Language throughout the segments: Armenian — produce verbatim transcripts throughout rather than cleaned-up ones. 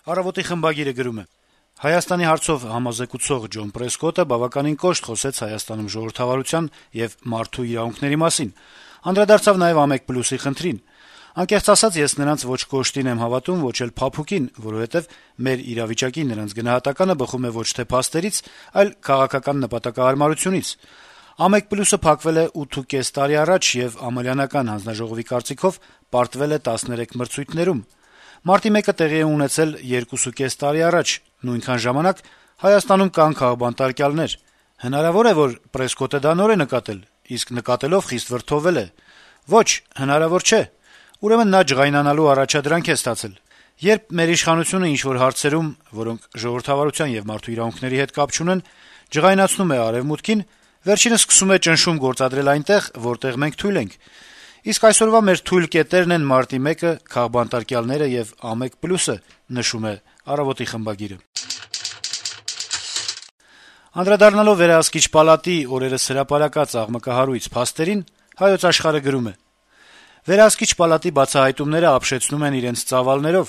Առավոտի խմբագիրը գրում է. - Հայաստանի հարցով համազեկուցող Ջոն Պրեսկոտը բավականին կոշտ խոսեց Հայաստանում ժողովրդավարության եւ մարդու իրավունքների մասին, անդրադարձավ նաեւ ԱՄԵԿ+-ի խնդրին: Անկեղծ ասած, ես նրանց ոչ կոշտին եմ հավատում, ոչ էլ փափուկին, որովհետեւ մեր իրավիճակի նրանց գնահատականը բխում է ոչ թե փաստերից, այլ քաղաքական նպատակահարմարությունից: ԱՄԵԿ+-ը փակվել է ութ ու կես տարի առաջ եւ Ամալյանական հանձնաժողովի կարծիքով պարտվել է տասներեք մրցույթներում: Մարտի մեկը տեղի է ունեցել երկուսուկես տարի առաջ, նույնքան ժամանակ Հայաստանում կան քաղբանտարկյալներ: Հնարավո՞ր է, որ Պրեսկոտը դա նոր է նկատել, իսկ նկատելով խիստ վրդովվել է: Ոչ, հնարավոր չէ: Ուրեմն նա ջղայնանալու առաջադրանք է ստացել: Երբ մեր իշխանությունը ինչ-որ հարցերում, որոնք ժողովրդավարության եւ մարդու իրավունքների հետ կապ չունեն, ջղայնացնում է Արեւմուտքին, վերջինս սկսում է ճնշում գործադրել այնտեղ, որտեղ մենք թույլ ենք: Իսկ այսօրվա մեր թույլ կետերն են Մարտի մեկը, քաղբանտարկյալները եւ ԱՄԵԿ+-ը»: Անդրադառնալով Վերահսկիչ պալատի օրերս հրապարակած աղմկահարույց փաստերին, «Հայոց Աշխարհ»-ը գրում է. - «Վերահսկիչ պալատի բացահայտումները ապշեցնում են իրենց ծավալներով: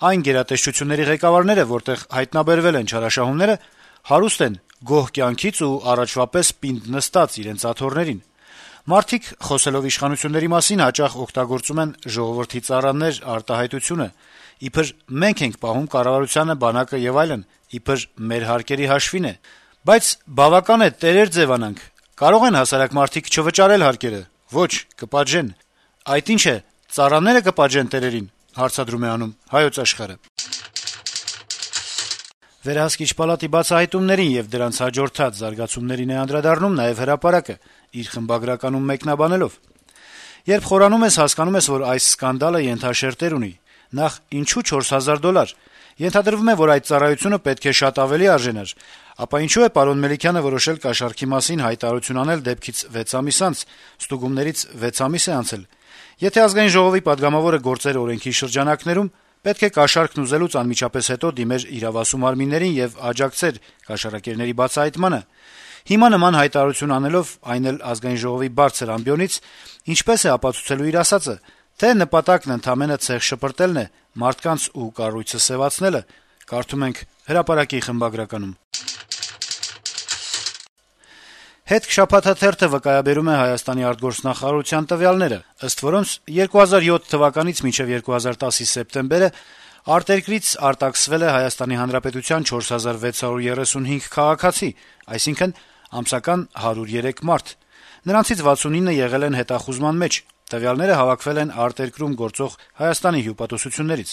Այն գերատեսչությունների ղեկավարները, որտեղ հայտնաբերվել են չարաշահումները, հարուստ են գոհ կյանքից ու առաջվա պես պինդ նստած իրենց աթոռներին: Մարդիկ, խոսելով իշխանությունների մասին, հաճախ օգտագործում են «ժողովրդի ծառաներ» արտահայտությունը, իբր մենք ենք պահում կառավարությանը, բանակը եւ այլն, իբր մեր հարկերի հաշվին է: Բայց բավական է տերեր ձեւանանք: Կարո՞ղ են հասարակ մարդիկ չվճարել հարկերը: Ոչ, կպատժեն: Այդ ի՞նչ է, ծառանե՞րը կպատժեն տերերին»: Վերահսկիչ պալատի բացահայտումներին եւ դրանց հաջորդած զարգացումներին է անդրադառնում նաեւ «Հրապարակ»-ը, իր խմբագրականում մեկնաբանելով. - «Երբ խորանում ես, հասկանում ես, որ այս սկանդալը ենթաշերտեր ունի: Նախ, ինչու չորս հազար դոլար: Ենթադրվում է, որ այդ ծառայությունը պետք է շատ ավելի արժենար: Ապա ինչու է պարոն Մելիքյանը որոշել կաշառքի մասին հայտարարություն անել դեպքից վեց ամիս անց: Ստուգումներից վեց ամիս է անցել: Եթե Ազգային ժողովի պատգամավորը գործեր օրենքի շրջանակներում, պետք է կաշառքն ուզելուց անմիջապես հետո դիմեր իրավասու մարմիններին եւ աջակցեր կաշառակերների բացահայտմանը: Հիմա նման հայտարարություն անելով, այն էլ Ազգային ժողովի բարձր ամբիոնից, ինչպե՞ս է ապացուցելու իր ասածը, թե նպատակն ընդամենը ցեխ շպրտելն է, մարդկանց ու կառույցը սեւացնելը»: «Հետք» շաբաթաթերթը վկայաբերում է Հայաստանի արտգործնախարարության տվյալները, ըստ որոնց երկու հազար յոթ թվականից մինչեւ երկու հազար տասի սեպտեմբերը արտերկրից արտաքսվել է Հայաստանի Հանրապետության չորս հազար վեց հարյուր երեսունհինգ քաղաքացի, այսինքն` ամսական հարյուր ու երեք մարդ: Նրանցից վաթսունինը եղել են հետախուզման մեջ: Տվյալները հավաքվել են արտերկրում գործող Հայաստանի հյուպատոսություններից: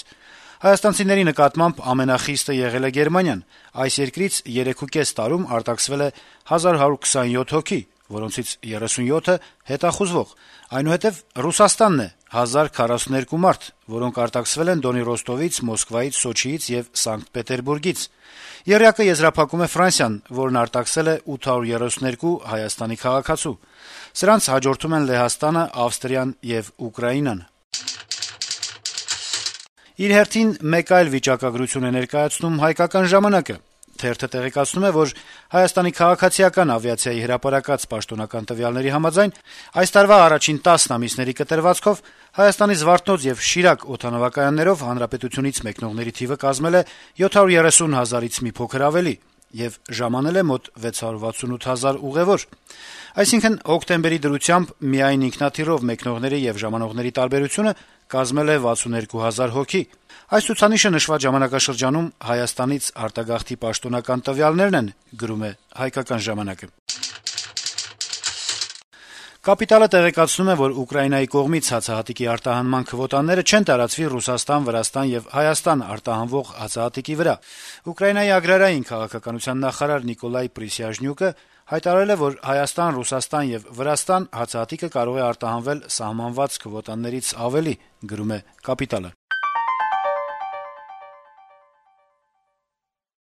Հայաստանցիների նկատմամբ ամենախիստը եղել է Գերմանիան: Այս երկրից երեքուկես տարում արտաքսվել է հազար հարյուր քսանյոթ հոգի, որոնցից երեսունյոթը հետախուզվող: Այնուհետեւ Ռուսաստանն է` հազար քառասունութ մարդ, որոնք արտաքսվել են Դոնի Ռոստովից, Մոսկվայից, Սոչիից եւ Սանկտ Պետերբուրգից: Եռյակը եզրափակում է Ֆրանսիան, որն արտաքսել է ութ հարյուր երեսունհինգ Հայաստանի քաղաքացու: Սրանց հաջորդում են Լեհաստանը, Ավստրիան եւ Ուկրաինան»: Իր հերթին մեկ այլ վիճակագրություն է ներկայացնում «Հայկական ժամանակ»-ը: Թերթը տեղեկացնում է, որ Հայաստանի քաղաքացիական ավիացիայի հրապարակած պաշտոնական տվյալների համաձայն, այս տարվա առաջին տասն ամիսների կտրվածքով Հայաստանի Զվարթնոց եւ Շիրակ օդանավակայաններով հանրապետությունից մեկնողների թիվը կազմել է յոթ հարյուր երեսուն հազարից մի փոքր ավելի եւ ժամանել է մոտ վեց հարյուր վաթսունութ հազար ուղեւոր: Այսինքն, հոկտեմբերի դրությամբ միայն ինքնաթիռով մեկնողների եւ ժամանողների տարբերությունը կազմել է վաթսունհինգ հազար հոգի: Այս ցուցանիշը նշված ժամանակաշրջանում Հայաստանից արտագաղթի պաշտոնական տվյալներն են, գրում է թերթը: «Կապիտալ»-ը տեղեկացնում է, որ Ուկրաինայի կողմից հացահատիկի արտահանման քվոտաները չեն տարածվի Ռուսաստան, Վրաստան եւ Հայաստան արտահանվող հացահատիկի վրա: Ուկրաինայի ագրարային քաղաքականության նախարար Նիկոլայ Պրիսյաժնյուկը հայտարարել է, որ Հայաստան, Ռուսաստան եւ Վրաստան հացահատիկը կարող է արտահանվել սահմանված քվոտաներից ավելի: